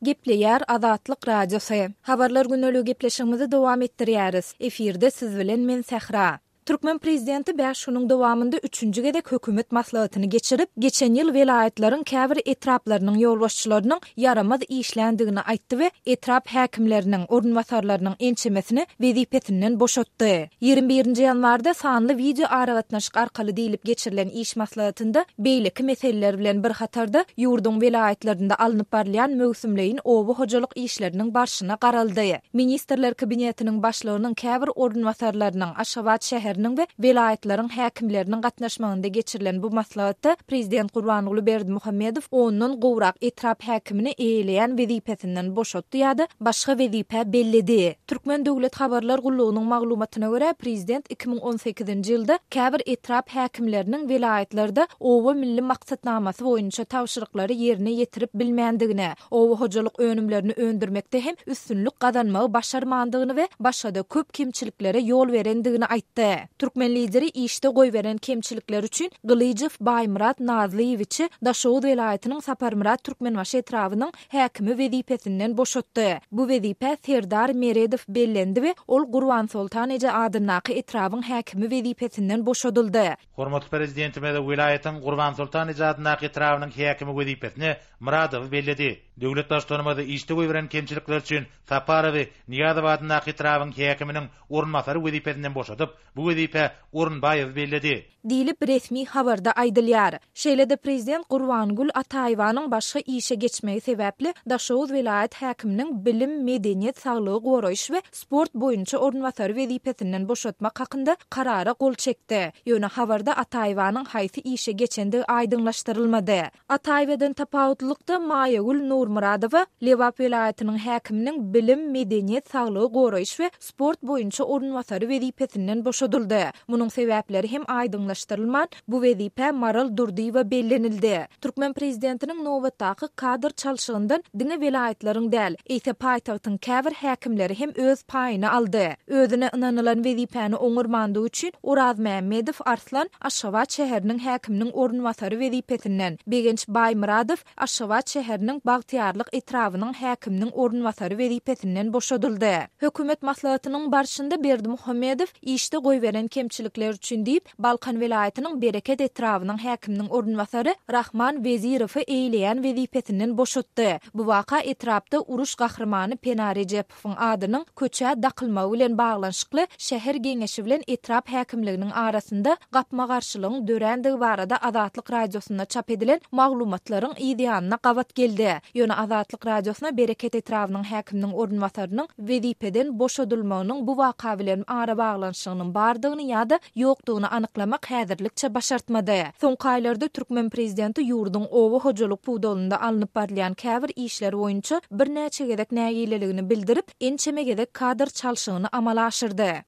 Gepleýär Azatlyk Radiosy. Habarlar gündeligi gepleşigimizi dowam etdirýäris. Efirde siz bilen men Sähra. Türkmen prezidenti bäş günüň dowamynda üçünji gezek hökümet maslahatyny geçirip, geçen ýyl welaýatlaryň käbir etraplarynyň ýolbaşçylarynyň ýaramaz işländigini aýtdy we etrap häkimleriniň orunbasarlarynyň ençemesini wezipesinden boşatdy. 21-nji ýanwarda sanly wideo aragatnaşyk arkaly diýlip geçirilen iş maslahatynda beýleki meseleler bilen bir hatarda ýurduň welaýatlarynda alnyp barylýan möwsümleýin oba hojalyk işleriniň barşyna garaldy. Ministrler Kabinetiniň Başlygynyň käbir orunbasarlarynyň, Aşgabat şäheriniň we welaýatlaryň häkimleriniň gatnaşmagynda geçirilen bu maslahatda Prezident Gurbanguly Berdimuhamedow ondan gowrak etrap häkimini eýeleýän wezipesinden boşatdy ýa-da başga wezipä belledi. Türkmen döwlet habarlar gullugynyň maglumatyna görä, prezident 2018-nji ýylda käbir etrap häkimleriniň welaýatlarda Oba milli maksatnamasy boýunça tabşyryklary ýerine ýetirip bilmändigine, oba hojalyk önümlerini öndürmekde hem üstünlik gazanmagy başarmandygyny we başga-da köp kemçiliklere ýol berendigini aýtdy. Türkmen Lideri işde goýberen kemçilikleri üçin Gylyjow Baýmyrat Nazlyýewiçi Daşoguz welaýatynyň Saparmyrat Türkmenbaşy etrabynyň häkimi wezipesinden boşatdy. Bu wezipä Serdar Meredow bellendi we ol Gurbansoltan eje adyndaky etrabyň häkimi wezipesinden boşadyldy. Hormatly Prezidentimiz welaýatyň Gurbansoltan eje adyndaky etrabynyň häkimi wezipesine Myradowy belledi. Döwlet Baştutanymyz işde goýberen kemçilikleri üçin Saparowy Nyýazow adyndaky etrabyň häkiminiň orunbasary wezipesinden boşadyp, bu wezipä Orunbaýewi belledi. Diýlip, resmi habarda aýdylýar. Şeýle-de prezident Gurbangül Ataýewanyň başga işe geçmegi sebäpli Daşoguz welaýat häkiminiň bilim, medeniýet, saglygy goraýyş we sport boýunça orunbasary wezipesinden boşatmak hakynda karara gol çekdi. Ýöne habarda Ataýewanyň haýsy işe geçendigi aýdyňlaşdyrylmady. Ataýewadan tapawutlylykda Maýagül Nurmyradowa Lebap welaýatynyň häkiminiň bilim, medeniýet, saglygy goraýyş we sport boýunça orunbasary wezipesinden boşadyldy. Munuň sebäpleri hem aýdyňlaşdyrylman, bu wezipä Maral Durdyýewa bellenildi. Türkmen prezidentiniň nobatdaky kadr çalşygyndan diňe welaýatlaryň däl, eýse paýtagtyň käbir häkimleri hem öz paýyny aldy. Özüne ynanylan wezipäni oňarmandygy üçin Orazmämmedow Arslan Aşgabat şäheriniň häkiminiň orunbasary wezipesinden, Begenç Baýmyradow Aşgabat şäheriniň Bagtyýarlyk etrabynyň häkiminiň orunbasary wezipesinden boşadyldy. Hökümet maslahatynyň barşynda Berdimuhamedow işde goýberen kemçilikler üçin diýip, Balkan welaýatynyň Bereket etrabynyň häkiminiň orunbasary Rahman Wezirowy eýleýän wezipesinden boşatdy. Bu waka etrapda uruş gahrymany Pena Rejepowyň adynyň köçä dakylmagy bilen baglanyşykly şäher geňeşi bilen etrap häkimliginiň arasynda gapma-garşylygyň dörändigi barada Azatlyk Radiosynda çap edilen maglumatlaryň yz ýanyna gabat geldi. Ýöne Azatlyk Radiosyna Bereket etrabynyň häkiminiň orunbasarynyň wezipeden boşadylmagynyň bu waka bilen arabaglanyşygynyň bardygyny ýa-da ýokdugyny anyklamak häzirlikçe başartmady. Soňky aýlarda türkmen prezidenti ýurduň oba hojalyk pudagynda alnyp barylýan käbir işler boýunça birnäçe gezek nägileligini bildirip, ençeme gezek kadr çalşygyny amala aşyrdy.